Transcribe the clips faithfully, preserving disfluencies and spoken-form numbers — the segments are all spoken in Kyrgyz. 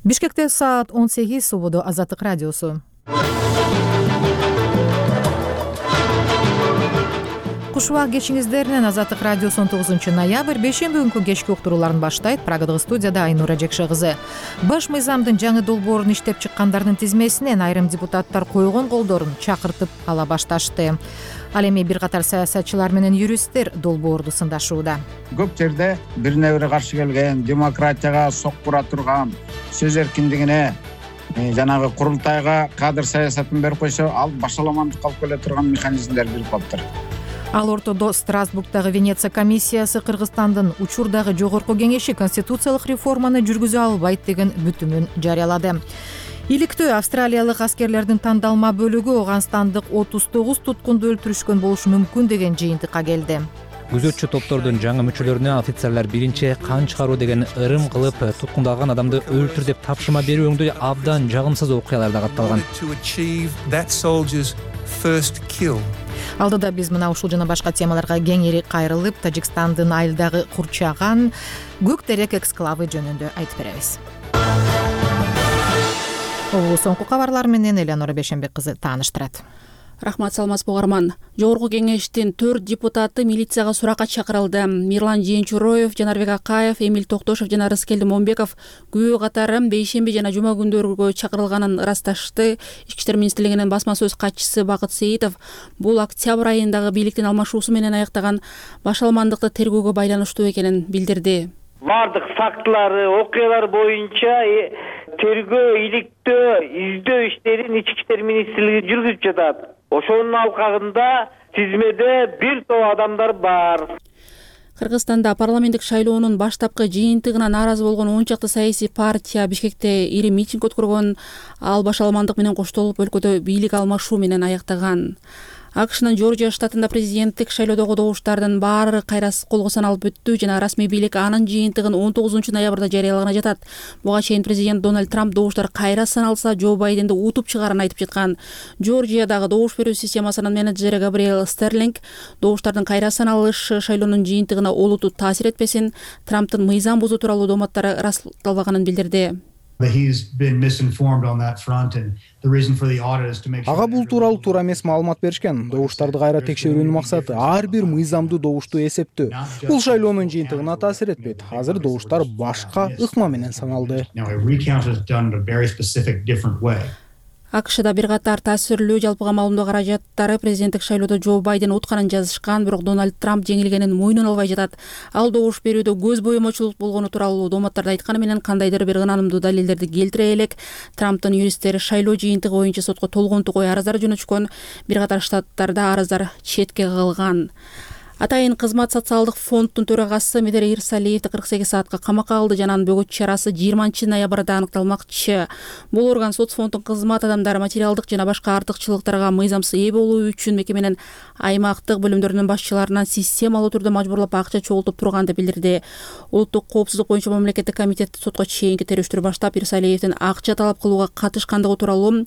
Бишкекте саат он сегиз, Субудо Азаттык радиосу. Кушубак кечиңиздеринен Азаттык радиосу он тогузунчу ноябрь бейшемби күнкү кечки уктурууларын баштайт. Программада студияда Айнура Жекше кызы. Баш мыйзамдын жаңы долбоорун иштеп чыккандардын тизмесинен айрым депутаттар койгон колдорун чакыртып ала башташты. Ал эми бир катар саясатчылар менен юристтер долбоорду сындашууда. Көп жерде бирине бири каршы келген, демократияга соккура турган, сөз эркиндигине, жанагы курултайга кадр саясатын берип койсо, ал башаламандыкка алып келе турган механизмдер бирип калыптыр. Ал ортодо Страсбургдагы Венеция комиссиясы Кыргызстандын учурдагы жогорку кеңеши конституциялык реформаны жүргүзө албайт деген бүтүмүн жарыялады. Иликтөө австралиялык аскерлердин тандалма бөлүгү Афганстандык отуз тогуз туткунду өлтүрүшкөн болушу мүмкүн деген жыйынтыкка келди. Күзөтчү топтордун жаңы мүчөлөрүнө офицерлер биринчи кан чыгаруу деген ырым кылып, туткундалган адамды өлтүр деп тапшырма берүүңдү абдан жагымсыз окуяларда катталган. Алдыда биз мына ушул жана башка темаларга кеңири кайрылып, Тажикстандын айылдагы курчаган көк терек эксклавы жөнүндө айтып беребиз. Бул соңку кабарлар менен Элеонора Бейшембек кызы тааныштырат. Рахмат, саламатсызбы угарман. Жогорку кеңештин төрт депутаты милицияга суракка чакырылды. Мирлан Жээнчуроев, Жанарбек Акаев, Эмиль Токтошев жана Рыскелди Момбеков күбө катары бейшемби жана жума күндөргө чакырылганын ырасташты. Ички иштер министрлигинин басма сөз катчысы Бакыт Сейитов бул октябрь айындагы бийликтин алмашуусу менен аяктаган башаламандыкты тергөөгө байланыштуу экенин билдирди. Бардык фактылары, окуялар боюнча тергөө, иликтөө, издөө иштерин ички иштер министрлиги жүргүзүп жатат. Ошонун алкагында тизмеде бир топ адамдар бар. Кыргызстанда парламенттик шайлоонун баштапкы жыйынтыгына нааразы болгон он чакты саясий партия Бишкекте ири митинг өткөргөн. Ал башаламандык менен коштолуп өлкөдө бийлик алмашуу менен аяктаган. АКШнын Жоржия штатында президенттик шайлоодогу добуштардын баары кайра колго саналып өттү жана расмий бийлик анын жыйынтыгын он тогузунчу ноябрда жарыялаганы жатат. Буга чейин президент Дональд Трамп добуштар кайра саналса Джо Байденди утуп чыгаарын айтып жаткан. Жоржиядагы добуш берүү системасынын менеджери Габриэл Стерлинг добуштардын кайра саналышы шайлоонун жыйынтыгына олуттуу таасир этпесин, Трамптын мыйзам бузуу тууралуу дооматтары ырасталбаганын билдирди. Ага бул тууралуу туура эмес маалымат беришкен. Добуштарды кайра текшерүүнүн максаты ар бир мыйзамдуу добушту эсептөө. Бул шайлоонун жыйынтыгына таасир этпейт. Азыр добуштар башка ыкма менен саналды. АКШда бир катар таасирлүү жалпыга маалымдоо каражаттары президенттик шайлоодо Джо Байден утканын жазышкан, бирок Дональд Трамп жеңилгенин мойнуна албай жатат. Ал добуш берүүдө көз боемочулук болгону тууралуу дооматтарды айтканы менен кандайдыр бир ынанымдуу далилдерди келтире элек. Трамптын юристтери шайлоо жыйынтыгы боюнча сотко толгонту кой арыздар жөнөтүшкөн. Бир катар штаттарда арыздар четке кагылган. Атайын кызмат социалдык фонддун төрагасы Медер Ирсалиевди кырк сегиз саатка камакка алды жана анын бөгөт чарасы жыйырманчы ноябрда аныкталмакчы. Бул орган соцфонддун кызмат адамдары материалдык жана башка артыкчылыктарга мыйзамсыз ээ болуу үчүн мекеменин аймактык бөлүмдөрүнүн башчыларынан системалуу түрдө мажбурлап акча чогултуп турганды билдирди. Улуттук коопсуздук боюнча мамлекеттик комитет сотко чейинки териштирүү баштап Ирсалиевдин акча талап кылууга катышкандыгы тууралуу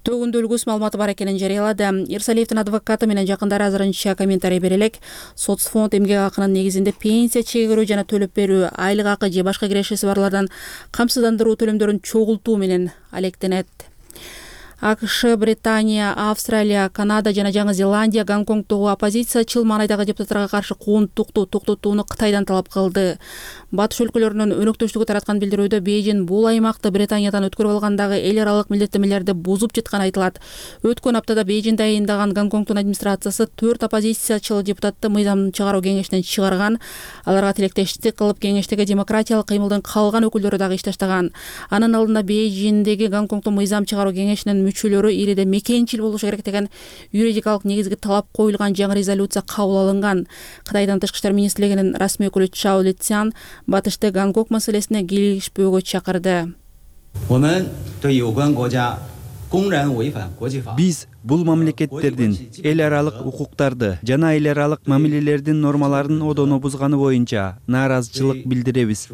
төгүндөлгүс маалыматы бар экенин жарыялады. Ирсалиевдин адвокаты менен жакындары азырынча комментарий бере элек. Соцфонд эмгек акынын негизинде пенсия чегерүү жана төлөп берүү, айлык акы же башка кирешеси барлардан камсыздандыруу төлөмдөрүн чогултуу менен алектенет. АКШ, Британия, Австралия, Канада жана Жаңы Зеландия Гонконгдогу оппозициячыл маанайдагы депутаттарга каршы кууntукту токтотууну Кытайдан талап кылды. Батыш өлкөлөрүнүн өнөктөштүгү тараткан билдирүүдө Бейжин бул аймакты Британиядан өткөрүп алгандагы эл аралык милдеттенмелерди бузуп жатканы айтылат. Өткөн аптада Бейжин дайындаган Гонконгдун администрациясы төрт оппозициячыл депутатты мыйзам чыгаруу кеңешинен чыгарган. Аларга тилектештик кылып кеңештеги демократиялык кыймылдын калган өкүлдөрү дагы иш таштаган. Анын алдында Бейжиндеги Гонконгдун мыйзам чыгаруу кеңешинин мүчөлөрү ириде мекенчил болушу керек деген юридикалык негизги талап коюлган жаңы резолюция кабыл алынган. Кытайдын тышкы иштер министрлигинин расмий өкүлү Чао Лицян батышты Гонконг маселесине кийлигишпөөгө чакырды. Биз бул мамлекеттердин эл аралык укуктарды жана эл аралык мамилелердин нормаларын одоно бузганы боюнча нааразычылык билдиребиз.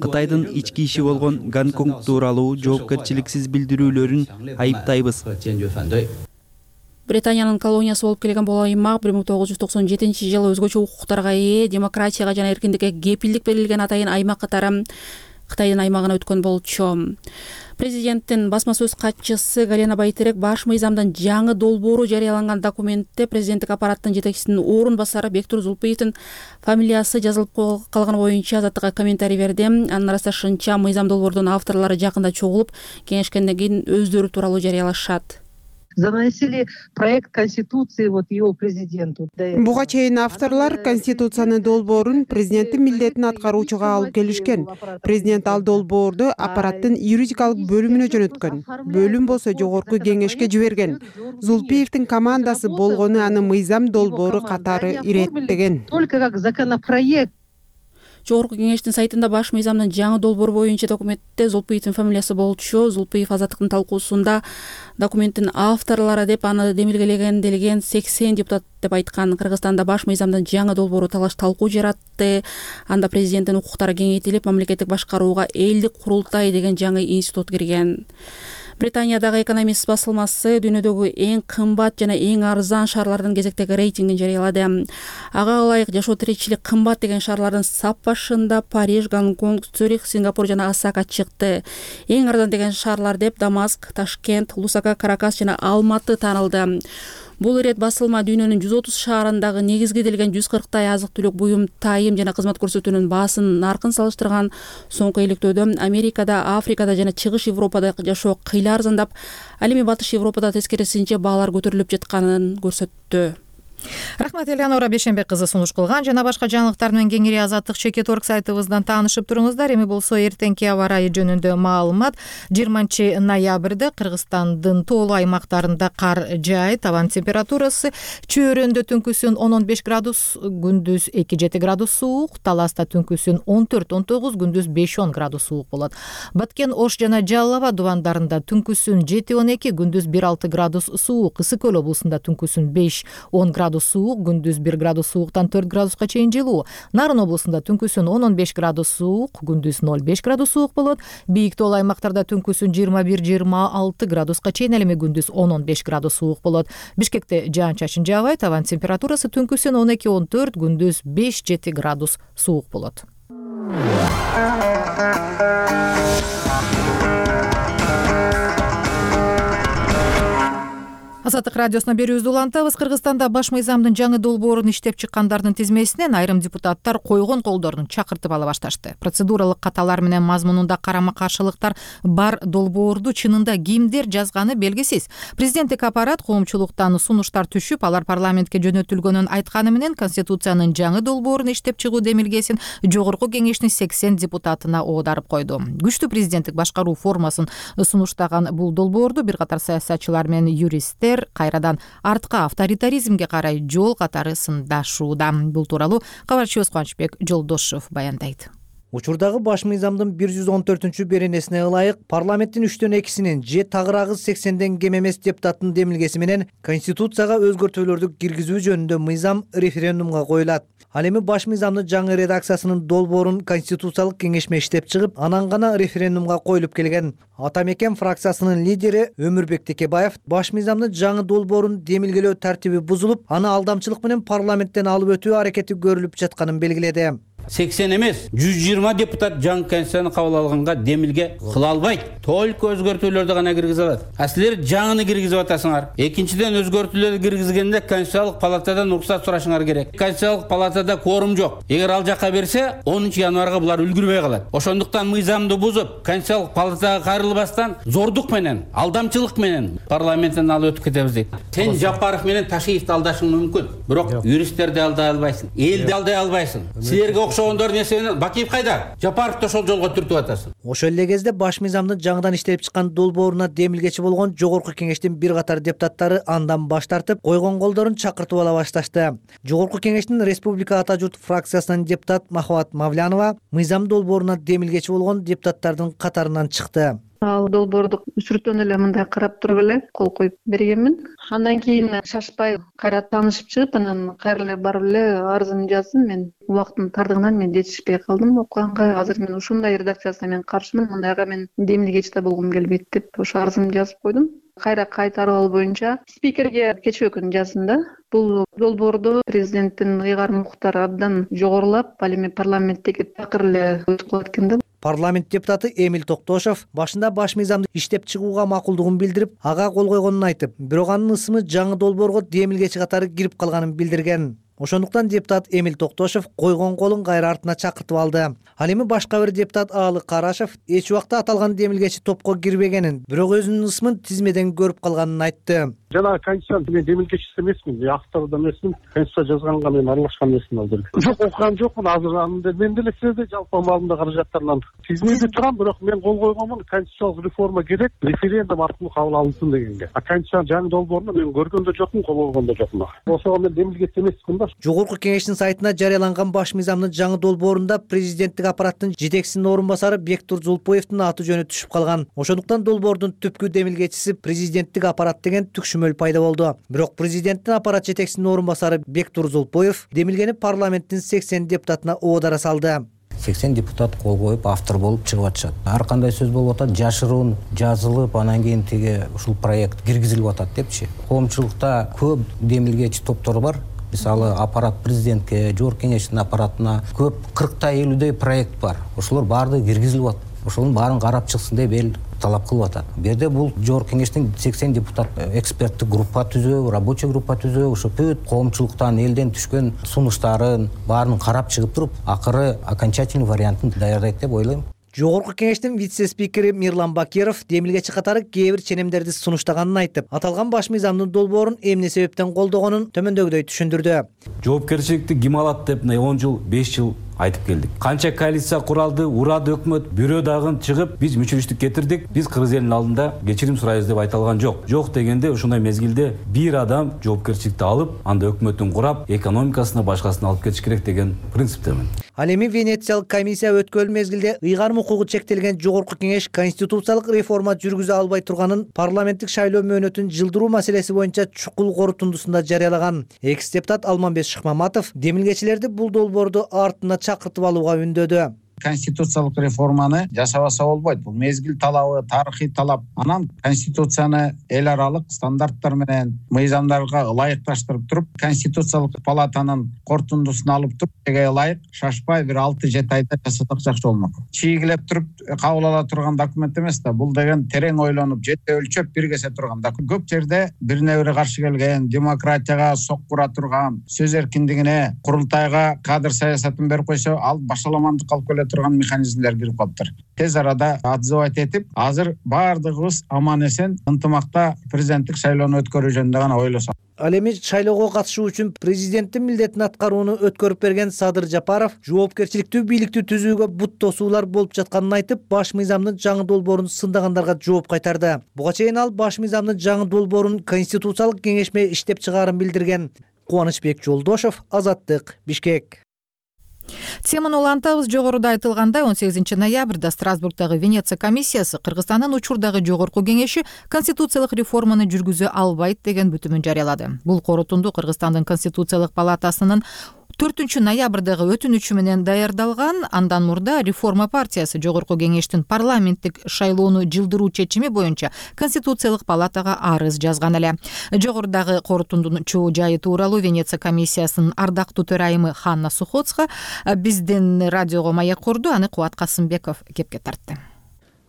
Кытайдын ички иши болгон Гонконг тууралуу жоопкерчиликсиз билдирүүлөрүн айыптайбыз. Британиянын колониясы болуп келген бул аймак бир миң тогуз жүз токсон жетинчи жылы өзгөчө укуктарга ээ, демократияга жана эркиндикке кепилдик берилген атайын аймак катары Кытайдын аймагына өткөн болчу. Президенттин басма сөз катчысы Галина Байтерек баш мыйзамдын жаңы долбоору жарыяланган документте президенттик аппараттын жетекчисинин орун басары Бектур Зулпиевдин фамилиясы жазылып калганы боюнча Азаттыкка комментарий берди. Анын ырасташынча мыйзам долбоордун авторлору жакында чогулуп кеңешкенден кийин өздөрү тууралуу жарыялашат. Заносили проект Конституции вот его президенту. Буга чейин авторлор Конституциянын долбоорун президенттин милдетин аткаруучуга алып келишкен. Президент ал долбоорду аппараттын юридикалык бөлүмүнө жөнөткөн. Бөлүм болсо жогорку кеңешке жиберген. Зулпиевдин командасы болгону аны мыйзам долбоору катары иреттеген. Только как законопроект. Жогорку кеңештин сайтында баш мыйзамдын жаңы долбоору боюнча документте Зулпиевдин фамилиясы болчу. Зулпиев Азаттыктын талкуусунда документтин авторлору деп аны демилгелеген делген сексен депутат деп айткан. Кыргызстанда баш мыйзамдын жаңы долбоору талаш талкуу жаратты. Анда президенттин укуктары кеңейтилип, мамлекеттик башкарууга элдик курултай деген жаңы институт кирген. Британиядагы Экономист басылмасы дүйнөдөгү эң кымбат жана эң арзан шаарлардын кезектеги рейтингин жарыялады. Ага ылайык жашоо тиричилик кымбат деген шаарлардын сап башында Париж, Гонконг, Цюрих, Сингапур жана Осака чыкты. Эң арзан деген шаарлар деп Дамаск, Ташкент, Лусака, Каракас жана Алматы таанылды. Бул ирет басылма дүйнөнүн жүз отуз шаарындагы негизги делген жүз кырктай азык-түлүк буюм, тайым жана кызмат көрсөтүүнүн баасын наркын салыштырган. Соңку иликтөөдө Америкада, Африкада жана Чыгыш Европада жашоо кыйла арзандап, ал эми Батыш Европада тескерисинче баалар көтөрүлүп жатканын көрсөттү. Рахмат, Элеонора Бейшенбек кызы сунуш кылган. Жана башка жаңылыктар менен кеңири Азаттык чекит орг сайтыбыздан таанышып туруңуздар. Эми болсо эртеңки аба ырайы жөнүндө маалымат. жыйырманчы ноябрда Кыргызстандын тоолуу аймактарында кар жаайт. Абан температурасы Чөйрөндө түнкүсүн он он беш градус, күндүз эки жети градус суук, Таласта түнкүсүн он төрт он тогуз, күндүз беш он градус суук болот. Баткен, Ош жана Жалал Абад дубандарында түнкүсүн жети он эки, күндүз бир алты градус суук, Ысык Көл облусунда түнкүсүн беш он градус суук, күндүз бир градус сууктан төрт градуска чейин жылуу. Нарын облусунда түнкүсүн он он беш градус суук, күндүз ноль беш градус суук болот. Бийик тоолуу аймактарда түнкүсүн жыйырма бир жыйырма алты градуска чейин, ал эми күндүз он он беш градус суук болот. Бишкекте жаан-чачын жаабайт. Абан температурасы түнкүсүн он эки он төрт, күндүз беш жети градус суук болот. Азаттык радиосуна берүүбүздү улантабыз. Кыргызстанда баш мыйзамдын жаңы долбоорун иштеп чыккандардын тизмесинен айрым депутаттар койгон колдорун чакыртып ала башташты. Процедуралык каталар менен мазмунунда карама-каршылыктар бар долбоорду чынында кимдер жазганы белгисиз. Президенттик аппарат коомчулуктан сунуштар түшүп, алар парламентке жөнөтүлгөнүн айтканы менен Конституциянын жаңы долбоорун иштеп чыгуу демилгесин жогорку кеңештин сексен депутатына оодарып койду. Күчтүү президенттик башкаруу формасын сунуштаган бул долбоорду бир катар саясатчылар менен юристтер кайрадан артка авторитаризмге карай жол катары сындашууда. Бул тууралуу кабарчыбыз Кубанычбек Жолдошов баяндайт. Учурдагы баш мыйзамдын бир жүз он төртүнчү беренесине ылайык парламенттин үчтөн экисинин же тагыраагы сексенден кем эмес депутаттын демилгеси менен Конституцияга өзгөртүүлөрдү киргизүү жөнүндө мыйзам референдумга коюлат. Ал эми баш мыйзамдын жаңы редакциясынын долбоорун Конституциялык кеңешме иштеп чыгып, анан гана референдумга коюлуп келген. Ата мекен фракциясынын лидери Өмүрбек Текебаев баш мыйзамдын жаңы долбоорун демилгелөө тартиби бузулуп, аны алдамчылык менен парламенттен алып өтүү аракети көрүлүп жатканын белгиледи. сексен эмес, жүз жыйырма депутат жаңы конституцияны кабыл алганга демилге кыла албайт. Только өзгөртүүлөрдү гана киргизе алат. А силер жаңыны киргизип атасыңар. Экинчиден, өзгөртүүлөрдү киргизгенде Конституциялык палатадан уруксат сурашыңар керек. Конституциялык палатада кворум жок. Эгер ал жака берсе, онунчу январга булар үлгүрбөй калат. Ошондуктан мыйзамды бузуп, Конституциялык палатага кайрылбастан зордук менен, алдамчылык менен парламенттен алып өтүп кетебиз дейт. Сен Жапаров менен Ташиевди алдашың мүмкүн, бирок юристтерди алдай албайсың, элди алдай албайсың. Силерге окшогондор нерсени Бакиев кайда? Жапаровду ошол жолго түртүп атасың. Ошол эле кезде баш мыйзамдын жаңыдан иштелип чыккан долбооруна демилгечи болгон жогорку кеңештин бир катар депутаттары андан баш тартып, койгон колдорун чакыртып ала башташты. Жогорку кеңештин Республика Ата журт фракциясынын депутат Махабат Мавлянова мыйзам долбооруна демилгечи болгон депутаттардын катарынан чыкты. Ал долбоорду сүрөттөн эле мындай карап туруп эле кол коюп бергенмин. Андан кийин шашпай кайра таанышып чыгып, анан кайра эле барып эле арызымды жаздым. Мен убакыттын тардыгынан мен жетишпей калдым окуганга. Азыр мен ушундай редакциясына мен каршымын, мындайга мен демилгечи да болгум келбейт деп ошо арызымды жазып койдум. Кайра кайтарып алуу боюнча спикерге кечээ күнү жаздым да. Бул долбоорду президенттин ыйгарым укуктары абдан жогорулап, ал эми парламенттеги такыр эле өтүп калат экен да. парламент депутаты Эмиль Токтошов башында баш мыйзамды иштеп чыгууга макулдугун билдирип, ага кол койгонун айтып, бирок анын ысымы жаңы долбоорго демилгечи катары кирип калганын билдирген. Ошондуктан депутат Эмиль Токтошов койгон колун кайра артына чакыртып алды. Ал эми башка бир депутат Аалы Карашев эч убакта аталган демилгечи топко кирбегенин, бирок өзүнүн ысымын тизмеден көрүп калганын айтты. Жана конституцияны мен демилгечиси эмесмин, автору да эмесмин, конституция жазганга мен аралашкан эмесмин ал жерге. Жок, окуган жокмун азыр. Анда мен деле сизде жалпы маалымда каражаттарынан тизмеде турам, бирок мен кол койгонмун, конституциялык реформа керек, референдум аркылуу кабыл алынсын дегенге. А конституциянын жаңы долбоорун мен көргөн да жокмун, кол койгон да жокмун. Ошого мен демилгечи эмесмин да. Жогорку кеңештин сайтына жарыяланган баш мыйзамдын жаңы долбоорунда президенттик аппараттын жетекчисинин орун басары Бектур Зулпоевдин аты жөнү түшүп калган. Ошондуктан долбоордун түпкү демилгечиси президенттик аппарат деген түкшүмөл пайда болду. Бирок президенттин аппарат жетекчисинин орун басары Бектур Зулпоев демилгени парламенттин сексен депутатына оодара салды. сексен депутат кол коюп автор болуп чыгып атышат. Ар кандай сөз болуп атат, жашыруун жазылып, анан кийин тиги ушул проект киргизилип атат депчи. Коомчулукта көп демилгечи топтор бар. Мисалы аппарат президентке, жогорку кеңештин аппаратына көп кыркта элүүдөй проект бар. Ошолор баардыгы киргизилип атат. Ошонун баарын карап чыксын деп эл талап кылып атат. Бу жерде бул жогорку кеңештин сексен депутат эксперттик группа түзөө, рабочий группа түзөө, ошо бүт коомчулуктан элден түшкөн сунуштарын баарын карап чыгып туруп, акыры окончательный вариантын даярдайт деп ойлойм. Жогорку кеңештин вице-спикери Мирлан Бакиров демилгечи катары кээ бир ченемдерди сунуштаганын айтып, аталган баш мыйзамдын долбоорун эмне себептен колдогонун төмөндөгүдөй түшүндүрдү. Жоопкерчиликти ким алат деп он жыл, беш жыл айтып келдик. Канча коалиция куралды, урады өкмөт, бирөө дагы чыгып, биз мүчөлүштүк кетирдик, биз кыргыз элинин алдында кечирим сурайбыз деп айтылган жок. Жок дегенде ушундай мезгилде бир адам жоопкерчиликти алып, анда өкмөтүн курап, экономикасына башкасына алып кетиш керек деген принциптемин. Ал эми Венециялык комиссия өткөн мезгилде ыйгарым укугу чектелген жогорку кеңеш конституциялык реформа жүргүзө албай турганын парламенттик шайлоо мөөнөтүн жылдыруу маселеси боюнча чукул корутундусунда жарыялаган. Экс депутат Алмамбет Шыкмаматов демилгечилерди бул долбоорду артына чакыртып алууга үндөдү. Конституциялык реформаны жасабаса болбойт. Бул мезгил талабы, тарыхый талап. Анан конституцияны эл аралык стандарттар менен мыйзамдарга ылайыкташтырып туруп, конституциялык палатанын корутундусун алып туруп, теге ылайык шашпай бир алты жети айда жасасак жакшы болмок. Чийгилеп туруп кабыл ала турган документ эмес да. Бул деген терең ойлонуп, жете өлчөп биргесе турган документ. Көп жерде бирине бири каршы келген, демократияга соккура турган, сөз эркиндигине, курултайга кадр саясатын берип койсо, ал башаламандыкка алып келет турган механизмдер кирип калыптыр. Тез арада отзывать этип, азыр баардыгыбыз аман эсен ынтымакта президенттик шайлоону өткөрүү жөнүндө гана ойлосок. Ал эми шайлоого катышуу үчүн президенттин милдетин аткарууну өткөрүп берген Садыр Жапаров жоопкерчиликтүү бийликти түзүүгө бут тосуулар болуп жатканын айтып, баш мыйзамдын жаңы долбоорун сындагандарга жооп кайтарды. Буга чейин ал баш мыйзамдын жаңы долбоорун конституциялык кеңешме иштеп чыгаарын билдирген. Кубанычбек Жолдошов, Азаттык, Бишкек. Теманы улантабыз. Жогоруда айтылгандай, он сегизинчи ноябрда Страсбургдагы Венеция комиссиясы Кыргызстандын учурдагы жогорку кеңеши конституциялык реформаны жүргүзө албайт деген бүтүмүн жарыялады. Бул корутунду Кыргызстандын конституциялык палатасынын төртүнчү ноябрдагы өтүнүчү менен даярдалган. Андан мурда реформа партиясы жогорку кеңештин парламенттик шайлоону жылдыруу чечими боюнча конституциялык палатага арыз жазган эле. Жогорудагы корутундун жайы тууралуу Венеция комиссиясынын ардактуу төрайымы Ханна Сухоцка биздин радиого маек курду. Аны Кубат Касымбеков кепке тартты.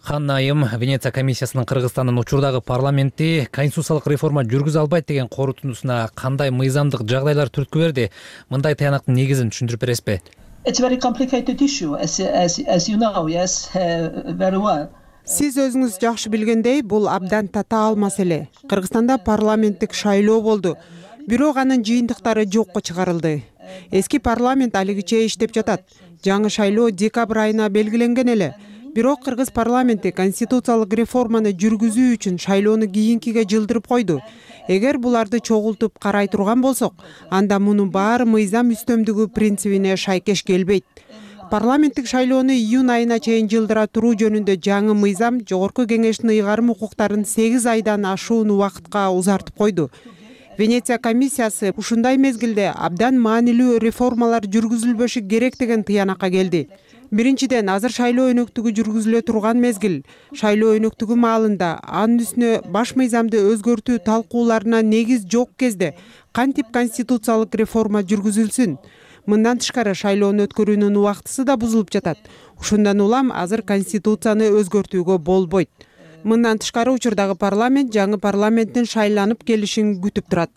Ханна айым Венеция комиссиясынын Кыргызстандын учурдагы парламентти конституциялык реформа жүргүзө албайт деген корутундусуна кандай мыйзамдык жагдайлар түрткү берди? Мындай таянактын негизин түшүндүрүп бересизби? It's a very complicated issue, as, as, as you know, yes, uh, very well. Сиз өзүңүз жакшы билгендей, бул абдан татаал маселе. Кыргызстанда парламенттик шайлоо болду, бирок анын жыйынтыктары жокко чыгарылды. Эски парламент алигиче иштеп жатат. Жаңы шайлоо декабрь айына белгиленген эле. Бирок кыргыз парламенти конституциялык реформаны жүргүзүү үчүн шайлоону кийинкиге жылдырып койду. Эгер буларды чогултуп карай турган болсок, анда мунун баары мыйзам үстөмдүгү принцибине шайкеш келбейт. Парламенттик шайлоону июнь айына чейин жылдыра туруу жөнүндө жаңы мыйзам жогорку кеңештин ыйгарым укуктарын сегиз айдан ашуун убакытка узартып койду. Венеция комиссиясы ушундай мезгилде абдан маанилүү реформалар жүргүзүлбөшү керек деген тыянакка келди. Биринчиден, азыр шайлоо өнөктүгү жүргүзүлө турган мезгил. Шайлоо өнөктүгү маалында анын үстүнө баш мыйзамды өзгөртүү талкууларына негиз жок кезде кантип конституциялык реформа жүргүзүлсүн? Мындан тышкары шайлоону өткөрүүнүн убактысы да бузулуп жатат. Ушундан улам азыр конституцияны өзгөртүүгө болбойт. Мындан тышкары учурдагы парламент жаңы парламенттин шайланып келишин күтүп турат.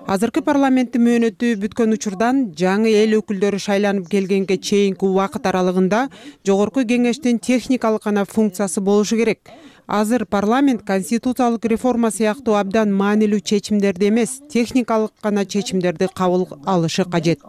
Азыркы парламенттин мөөнөтү бүткөн учурдан жаңы эл өкүлдөрү шайланып келгенге чейинки убакыт аралыгында жогорку кеңештин техникалык гана функциясы болушу керек. Азыр парламент конституциялык реформа сыяктуу абдан маанилүү чечимдерди эмес, техникалык гана чечимдерди кабыл алышы кажет.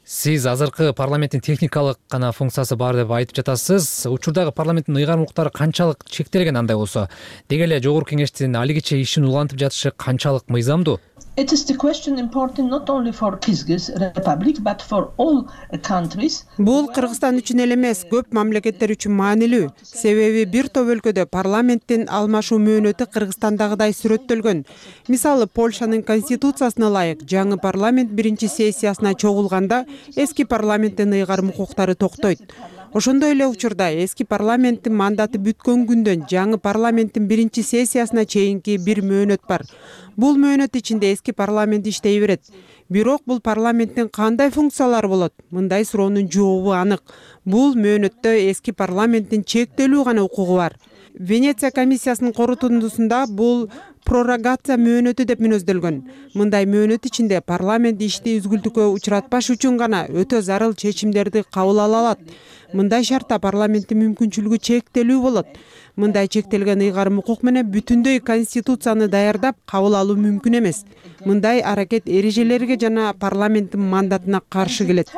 Сиз азыркы парламенттин техникалык гана функциясы бар деп айтып жатасыз. Учурдагы парламенттин ыйгарым укуктары канчалык чектелген андай болсо? Деги эле жогорку кеңештин алигиче ишин улантып жатышы канчалык мыйзамдуу? It is the question important not only for Kyrgyz Republic but for all countries. Бул Кыргызстан үчүн эле эмес, көп мамлекеттер үчүн маанилүү. Себеби бир топ өлкөдө парламенттин алмашуу мөөнөтү Кыргызстандагыдай сүрөттөлгөн. Мисалы, Польшанын конституциясына ылайык жаңы парламент биринчи сессиясына чогулганда эски парламенттин ыйгарым укуктары токтойт. Ошондой эле учурда эски парламенттин мандаты бүткөн күндөн жаңы парламенттин биринчи сессиясына чейинки бир мөөнөт бар. Бул мөөнөт ичинде эски парламент иштей берет. Бирок бул парламенттин кандай функциялары болот? Мындай суроонун жообу анык. Бул мөөнөттө эски парламенттин чектелүү гана укугу бар. Венеция комиссиясынын корутундусунда бул пророгация мөөнөтү деп мүнөздөлгөн. Мындай мөөнөт ичинде парламент ишти үзгүлтүккө учуратпаш үчүн гана өтө зарыл чечимдерди кабыл ала алат. Мындай шартта парламенттин мүмкүнчүлүгү чектелүү болот. Мындай чектелген ыйгарым укук менен бүтүндөй конституцияны даярдап кабыл алуу мүмкүн эмес. Мындай аракет эрежелерге жана парламенттин мандатына каршы келет.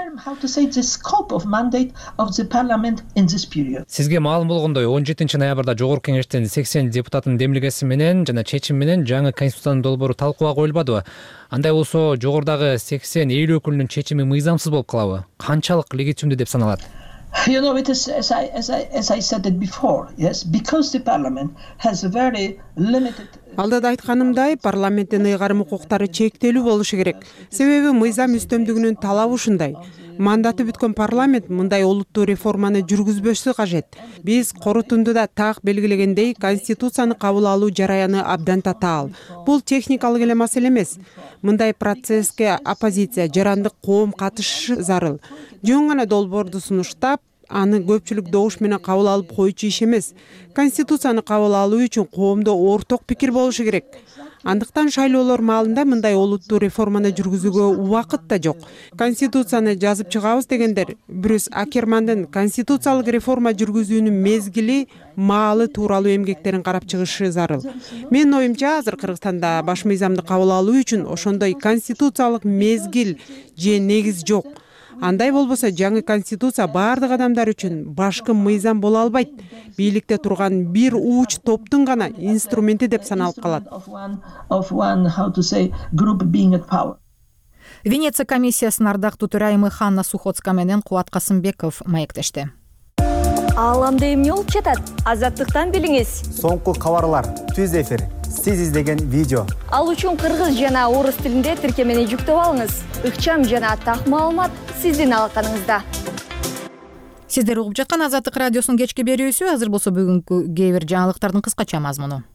Сизге маалым болгондой он жетинчи ноябрда жогорку кеңештин сексен депутатынын демилгеси менен жана чечим менен жаңы конституциянын долбоору талкууга коюлбадыбы? Андай болсо жогорудагы сексен эл өкүлүнүн чечими мыйзамсыз болуп калабы? Канчалык легитимдүү деп саналат? You know, it is as I as I as I said it before, yes, because the parliament has a very limited. Алдыда айтканымдай, парламенттин ыйгарым укуктары чектелүү болушу керек. Себеби мыйзам үстөмдүгүнүн талабы ушундай. Мандаты бүткөн парламент мындай олуттуу реформаны жүргүзбөшү кажет. Биз корутундуда так белгилегендей, конституцияны кабыл алуу жараяны абдан татаал. Бул техникалык эле маселе эмес. Мындай процесске оппозиция, жарандык коом катышышы зарыл. Жөн гана долбоорду сунуштап, аны көпчүлүк добуш менен кабыл алып койчу иш эмес. Конституцияны кабыл алуу үчүн коомдо орток пикир болушу керек. Андыктан шайлоолор маалында мындай олуттуу реформаны жүргүзүүгө убакыт да жок. Конституцияны жазып чыгабыз дегендер Брюс Акермандын конституциялык реформа жүргүзүүнүн мезгили, маалы тууралуу эмгектерин карап чыгышы зарыл. Менин оюмча, азыр Кыргызстанда баш мыйзамды кабыл алуу үчүн ошондой конституциялык мезгил же негиз жок. Андай болбосо жаңы конституция баардык адамдар үчүн башкы мыйзам боло албайт. Бийликте турган бир ууч топтун гана инструменти деп саналып калат. Венеция комиссиясынын ардактуу төрайымы Ханна Сухоцка менен Кубат Касымбеков маектешти. Ааламда эмне болуп жатат? Азаттыктан билиңиз. Соңку кабарлар, түз эфир, сиз издеген видео. Ал үчүн кыргыз жана орус тилинде тиркемени жүктөп алыңыз. Ыкчам жана так маалымат сиздин алаканыңызда. Сиздер угуп жаткан Азаттык радиосунун кечки берүүсү. Азыр болсо бүгүнкү кээ бир жаңылыктардын кыскача мазмуну.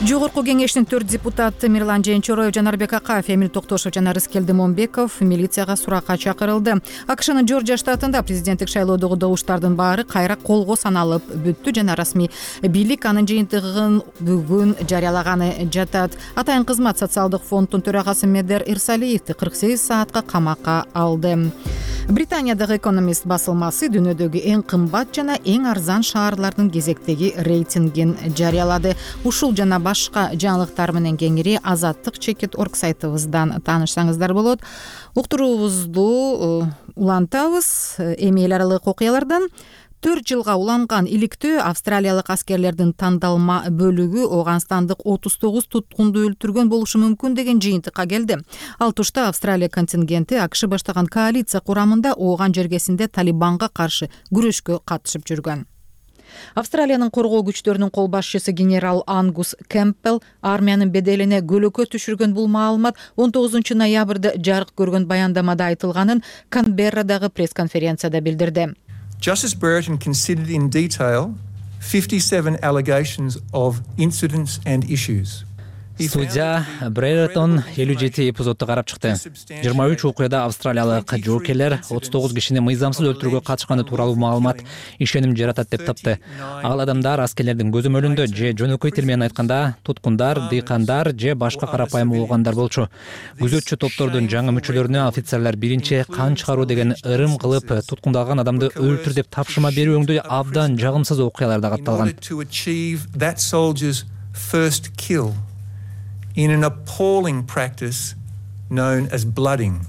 Жогорку кеңештин төрт депутаты Мирлан Женчороев, Жанарбек Акаев, Эмил Токтошов жана Рыскелди Момбеков милицияга суракка чакырылды. АКШнын Жоржия штатында президенттик шайлоодогу добуштардын баары кайра колго саналып бүттү жана расмий бийлик анын жыйынтыгын бүгүн жарыялаганы жатат. Атайын кызмат социалдык фонддун төрагасы Медер Ирсалиевди кырк сегиз саатка камакка алды. Британиядагы Экономист басылмасы дүйнөдөгү эң кымбат жана эң арзан шаарлардын кезектеги рейтингин жарыялады. Ушул жана башка жаңылыктар менен кеңири Азаттык чекит орг сайтыбыздан таанышсаңыздар болот. Уктуруубузду улантабыз. Эми эл аралык окуялардан төрт жылга уланган иликтөө австралиялык аскерлердин тандалма бөлүгү Ооганстандык отуз тогуз туткунду өлтүргөн болушу мүмкүн деген жыйынтыкка келди. Ал тушта Австралия контингенти АКШ баштаган коалиция курамында Ооган жергесинде Талибанга каршы күрөшкө катышып жүргөн. Австралиянын коргоо күчтөрүнүн кол башчысы генерал Ангус Кэмпбелл армиянын беделине көлөкө түшүргөн бул маалымат он тогузунчу ноябрда жарык көргөн баяндамада айтылганын Канберрадагы пресс-конференцияда билдирди. Justice Brereton considered in detail fifty-seven allegations of incidents and issues. Судья Брейертон элүү жети эпизодду карап чыкты. жыйырма үч окуяда австралиялык жоокерлер отуз тогуз кишини мыйзамсыз өлтүрүүгө катышканы тууралуу маалымат ишеним жаратат деп тапты. Ал адамдар аскерлердин көзөмөлүндө же жөнөкөй тил менен айтканда туткундар, дыйкандар же башка карапайым улугандар болчу. Күзөтчү топтордун жаңы мүчөлөрүнө офицерлер биринчи кан чыгаруу деген ырым кылып туткундалган адамды өлтүр деп тапшырма берүүңдү абдан жагымсыз окуяларда катталган. In an appalling practice known as blooding.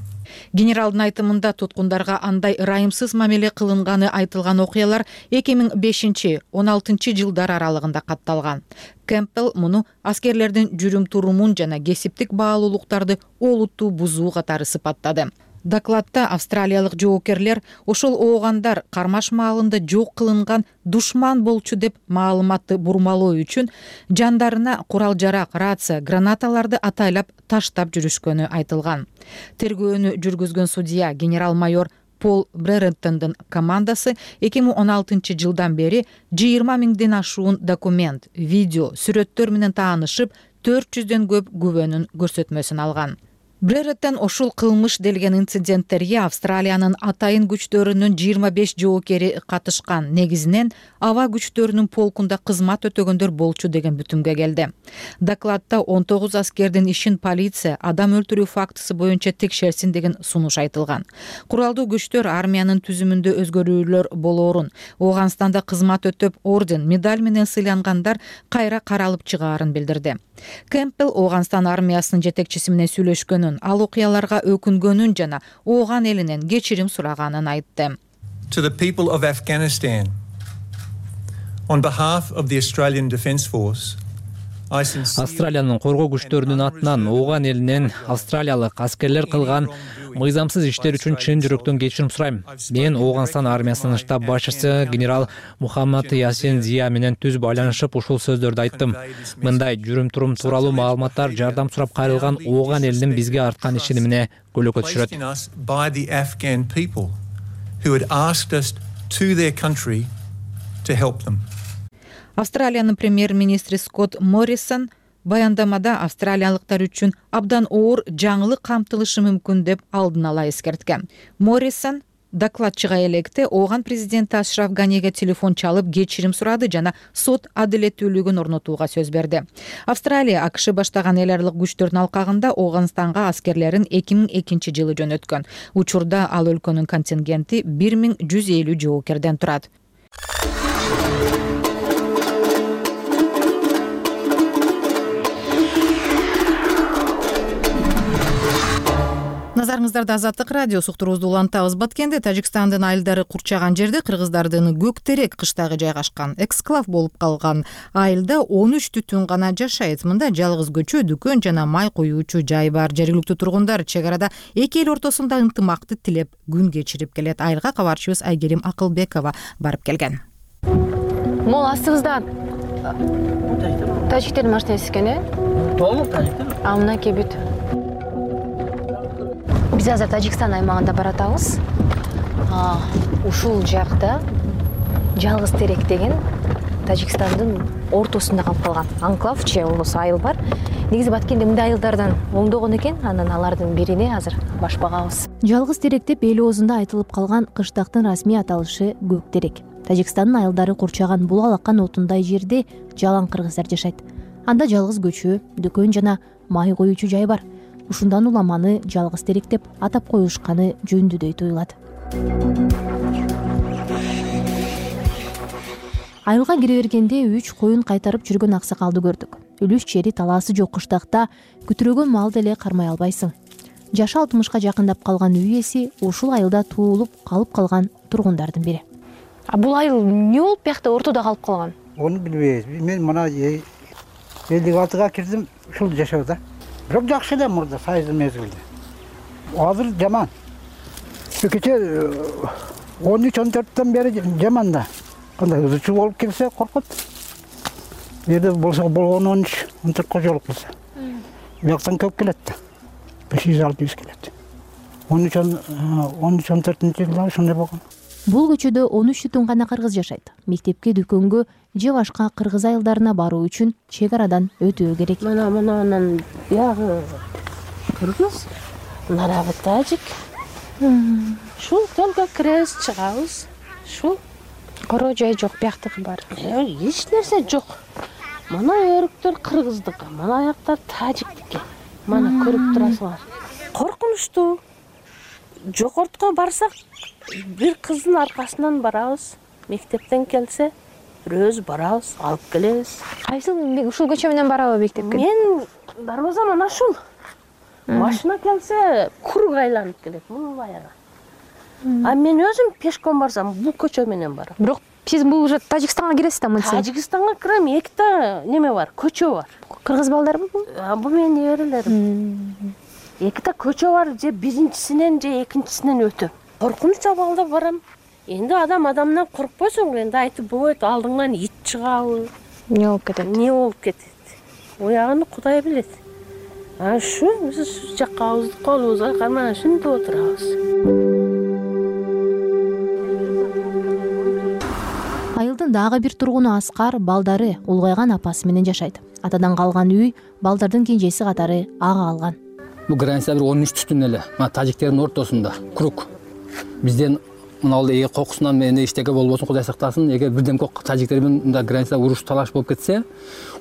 Генералдын айтымында туткундарга андай ырайымсыз мамиле кылынганы айтылган окуялар эки миң бешинчи он алтынчы жылдар аралыгында катталган. Кемпбелл муну аскерлердин жүрүм-турумун жана кесиптик баалуулуктарды олуттуу бузуу катары сыпаттады. Докладта австралиялык жоокерлер ошол оогандар кармаш маалында жок кылынган душман болчу деп маалыматты бурмалоо үчүн жандарына курал-жарак, рация, гранаталарды атайлап таштап жүрүшкөнү айтылган. Тергөөнү жүргүзгөн судья генерал-майор Пол Бререттондун командасы эки миң он алтынчы жылдан бери жыйырма миңден ашуун документ, видео, сүрөттөр менен таанышып, төрт жүздөн көп күбөнүн көрсөтмөсүн алган. Бререттон ошол кылмыш делген инциденттерге Австралиянын атайын күчтөрүнүн жыйырма беш жоокери катышкан, негизинен аба күчтөрүнүн полкунда кызмат өтөгөндөр болчу деген бүтүмгө келди. Докладта он тогуз аскердин ишин полиция адам өлтүрүү фактысы боюнча текшерсин деген сунуш айтылган. Куралдуу күчтөр армиянын түзүмүндө өзгөрүүлөр болоорун, Ооганстанда кызмат өтөп орден, медаль менен сыйлангандар кайра каралып чыгаарын билдирди. Кемпбелл Ооганстан армиясынын жетекчиси менен сүйлөшкөнүн, ал окуяларга өкүнгөнүн жана ооган элинен кечирим сураганын айтты. To the people of Afghanistan, on behalf of the Australian Defence Force, Австралиянын коргоо күчтөрүнүн атынан ооган элинен австралиялык аскерлер кылган мыйзамсыз иштер үчүн чын жүрөктөн кечирим сурайм. Мен Ооганстан армиясынын штаб башчысы генерал Мухаммад Ясин Зия менен түз байланышып ушул сөздөрдү айттым. Мындай жүрүм-турум тууралуу маалыматтар жардам сурап кайрылган ооган элинин бизге арткан ишенимине көлөкө түшүрөт. Австралиянын премьер-министри Скотт Моррисон баяндамада австралиялыктар үчүн абдан оор жаңылык камтылышы мүмкүн деп алдын ала эскерткен. Моррисон докладчыга электе ооган президенти Ашраф Ганиге телефон чалып кечирим сурады жана сот адилеттүүлүгүн орнотууга сөз берди. Австралия АКШ баштаган эл аралык күчтөрдүн алкагында Ооганстанга аскерлерин эки миң экинчи жылы жөнөткөн. Учурда ал өлкөнүн контингенти бир миң жүз элүү жоокерден турат. Назарыңыздарда Азаттык радио суктуруубузду улантабыз. Баткенде Тажикстандын айылдары курчаган жерде кыргыздардын Көктерек кыштагы жайгашкан. Эксклав болуп калган айылда он үч түтүн гана жашайт. Мында жалгыз көчө, дүкөн жана май куюучу жай бар. Жергиликтүү тургундар чек арада эки эл ортосунда ынтымакты тилеп күн кечирип келет. Айылга кабарчыбыз Айгерим Акылбекова барып келген. Мол астыбызда тажиктердин машинасы экен, э? Толук тажиктер. А мынакей бүт. Биз азыр Тажикстан аймагында баратабыз. Ушул жакта Жалгыз Терек деген Тажикстандын ортосунда калып калган анклав же болбосо айыл бар. Негизи Баткенде мындай айылдардан оңдогон экен, анан алардын бирине азыр баш багабыз. Жалгыз Терек деп эл оозунда айтылып калган кыштактын расмий аталышы Көктерек. Тажикстандын айылдары курчаган бул алакан отундай жерде жалаң кыргыздар жашайт. Анда жалгыз көчө, дүкөн жана май коюучу жай бар. Ушундан уламаны Жалгыз Терек деп атап коюшканы жөндү дейт уйлат. Айылга кире бергенде үч коюн кайтарып жүргөн аксакалды көрдүк. Үлүш жери талаасы жок кыштакта күтүрөгөн малды эле кармай албайсың. Жашы алтымышка жакындап калган үй ээси ушул айылда туулуп калып калган тургундардын бири. А бул айыл эмне болуп биякта ортодо калып калган? Ону билбейбиз. Мен мына элүү алтыга кирдим, ушул жашоодо. Бирок жакшы эле мурда сайыздын мезгилде. Азыр жаман. Кече он үч он төрттөн бери жаман да. Кандай ызычуу болуп келсе коркот. Жерде болсо болгон он үч он төрткө жолук болсо. Бияктан көп келет да. беш жүз алты жүз келет. он үч он төртүнчү жылдары ошондой болгон. Бул көчөдө он үч бүтүн гана кыргыз жашайт. Мектепке, дүкөнгө же башка кыргыз айылдарына баруу үчүн чек арадан өтүү керек. Мына мынанын биягы кыргыз, нарагы тажик. Ушул только киребиз, чыгабыз. Ушул Короо жай жок, бияктыкы бар. Эч нерсе жок. Мына өрүктөр кыргыздыкы, мына аяктар тажиктики. Мана көрүп турасыңар. Коркунучтуу. Жогортко барсак, бир кыздын аркасынан барабыз. Мектептен келсе, бирөөбүз барабыз, алып келебиз. Кайсыл ушул көчө менен барабы мектепке? Мен дарбазам ана ушул. Машина келсе, курук айланып келет, муну баягы. А мен өзүм пешком барсам, бул көчө менен барам. Бирок сиз бул уже Тажикстанга киресиз да мынтсе? Тажикстанга кирем, эките неме бар, көчө бар. Кыргыз балдарбы бул? Бул менин неберелерим. Эките көчө бар, же биринчисинен же экинчисинен өтөм. Коркунуч абалда барам. Энди адам адамдан коркпойсуң, энди айтып болбойт, алдыңан ит чыгабы, эмне болуп кетет? Эмне болуп кетет? Оягын Кудай билет. А ушу биз жакка колубузга кармай ушинтип отурабыз. Айылдын дагы бир тургуну Аскар балдары улгайган апасы менен жашайт. Атадан калган үй балдардын кенжеси катары ага алган. Бул граница бир он үч түтүн эле. Мына тажиктердин ортосунда круг. Бизден мына ал эге кокусунан эмне иштеке болбосун, Кудай сактасын. Эгер бирдемке тажиктер менен мында границада уруш талаш болуп кетсе,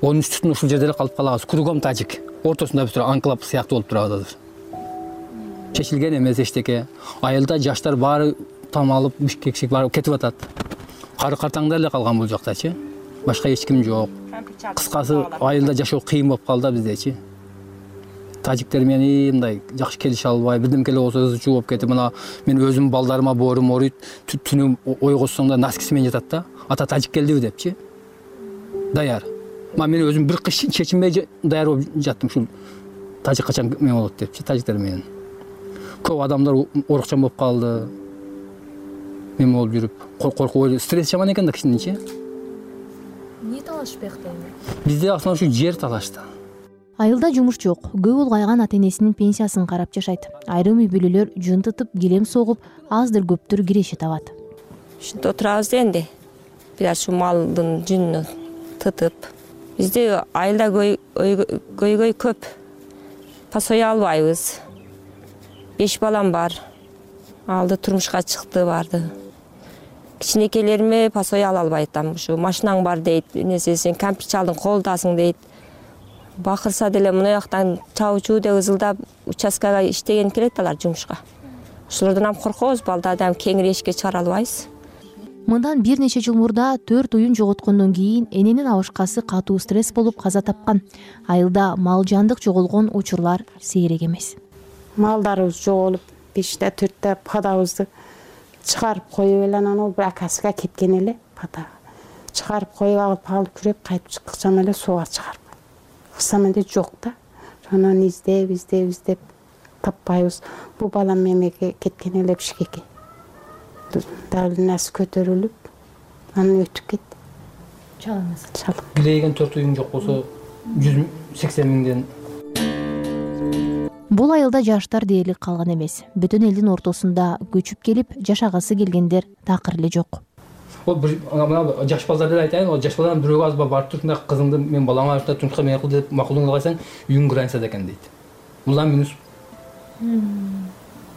он үч түтүн ушул жерде эле калып калабыз. Кругом тажик. Ортосунда бир анклав сыяктуу болуп турабыз азыр. Чечилген эмес эчтеке. Айылда жаштар баары там алып, Бишкекке барып кетип атат. Кары картаңдар эле калган бул жактачы. Башка эч ким жок. Кыскасы айылда жашоо кыйын болуп калды да биздечи. Тажиктер менен мындай жакшы келише албай, бирдемке эле болсо ызычуу болуп кетип, мына мен өзүм балдарыма боорум ооруйт, түнү ойгосоң да носкиси менен жатат да. Ата тажик келдиби депчи. Даяр. Ма мен өзүм бир кыш чечинбей даяр болуп жаттым, ушул тажик качан мен болот депчи, тажиктер менен. Көп адамдар орукчан болуп калды. Мен болуп жүрүп, коркуп, стресс жаман экен да кичинечи. Эмне талаш бияқта эми? Бизде асынан ушу жер талашты. Айылда жумуш жок. Көп улгайган ата-энесинин пенсиясын карап жашайт. Айрым үй бүлөлөр жын тытып, килем согуп, аздыр көптүр киреше табат. Ушинтип отурабыз энди. Бир ушу малдын жүнүн тытып. Бизде айылда көйгөй көп. Пасой албайбыз. Беш балам бар. Алды турмушка чыкты барды. Кичинекелериме пасой ала албайтам. Ушу машинаң бар дейт, эмесе сен кампир чалдың колдасың дейт. Бакырса деле мына жактан чабычуу деп ызылдап участкага иштеген келет алар жумушка. Ошолордон ham коркобуз, балдарды ham кеңири эшикке чыгара албайбыз. Мындан бир нече жыл мурда төрт уюн жоготкондон кийин эненин абышкасы катуу стресс болуп каза тапкан. Айылда мал жандык жоголгон учурлар сейрек эмес. Малдарыбыз жоголуп, беште төрттө падабызды чыгарып коюп эле анан ол бир акасыга кеткен эле пада. Чыгарып коюп алып алып күрөп кайтып чыксам эле сууга чыгарып. Кырсам эле жок да. Анан издеп, издеп, издеп таппайбыз. Бул балам мемеге кеткен эле Бишкекке. Давлениясы көтөрүлүп, анан өтүп кетти. Чалыңыз. Чалып. Билеген төрт уюң жок болсо жүз сексен миңден. Бул айылда жаштар дээрлик калган эмес. Бүтүн элдин ортосунда көчүп келип жашагысы келгендер такыр эле жок. Ол бир мына жаш балдар эле айтайын, ол жаш балдардан бирөө аз барып туруп, мына кызыңды мен балаңа артта турмушка мен кыл деп макулуңду кайсаң, үйүң границада экен дейт. Булдан минус.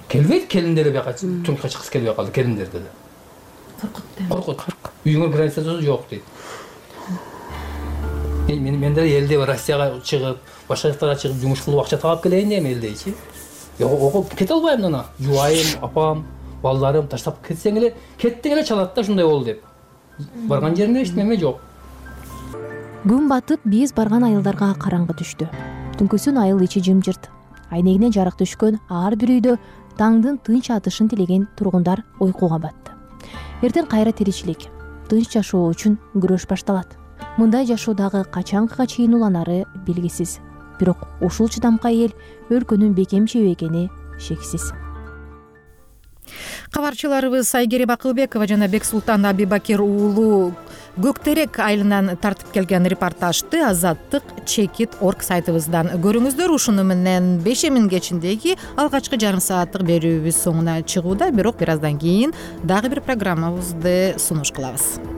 Келбейт, келиндер бияка турмушка чыккысы келбей калды, келиндер деди. Коркут дейм. Коркут. Үйүңөр границада жок дейт. Мен мен деле элде Россияга чыгып, башка жактарга чыгып жумуш кылып акча таап келейин дейм элдейчи. Окуп кете албайм ана. Жубайым, апам, балдарым таштап кетсең эле, кеттиң эле чалат да ушундай болду деп. Барган жеримде эчтеме жок. Күн батып, биз барган айылдарга караңгы түштү. Түнкүсүн айыл ичи жымжырт. Айнегине жарык түшкөн ар бир үйдө таңдын тынч атышын тилеген тургундар уйкуга батты. Эртең кайра тиричилик, тынч жашоо үчүн күрөш башталат. Мындай жашоо дагы качанга чейин уланары белгисиз. Бирок ушул чыдамкай эл өлкөнүн бекемчеби экени шексиз. Кабарчыларыбыз Айгерим Акылбекова жана Бексултан Абибакир уулу Көктерек айылынан тартып келген репортажды Азаттык чекит точка орг сайтыбыздан көрүңүздөр. Ушуну менен бешемин кечиндеги алгачкы жарым сааттык берүүбүз соңуна чыгууда, бирок бир аздан кийин дагы бир программабызды сунуш кылабыз.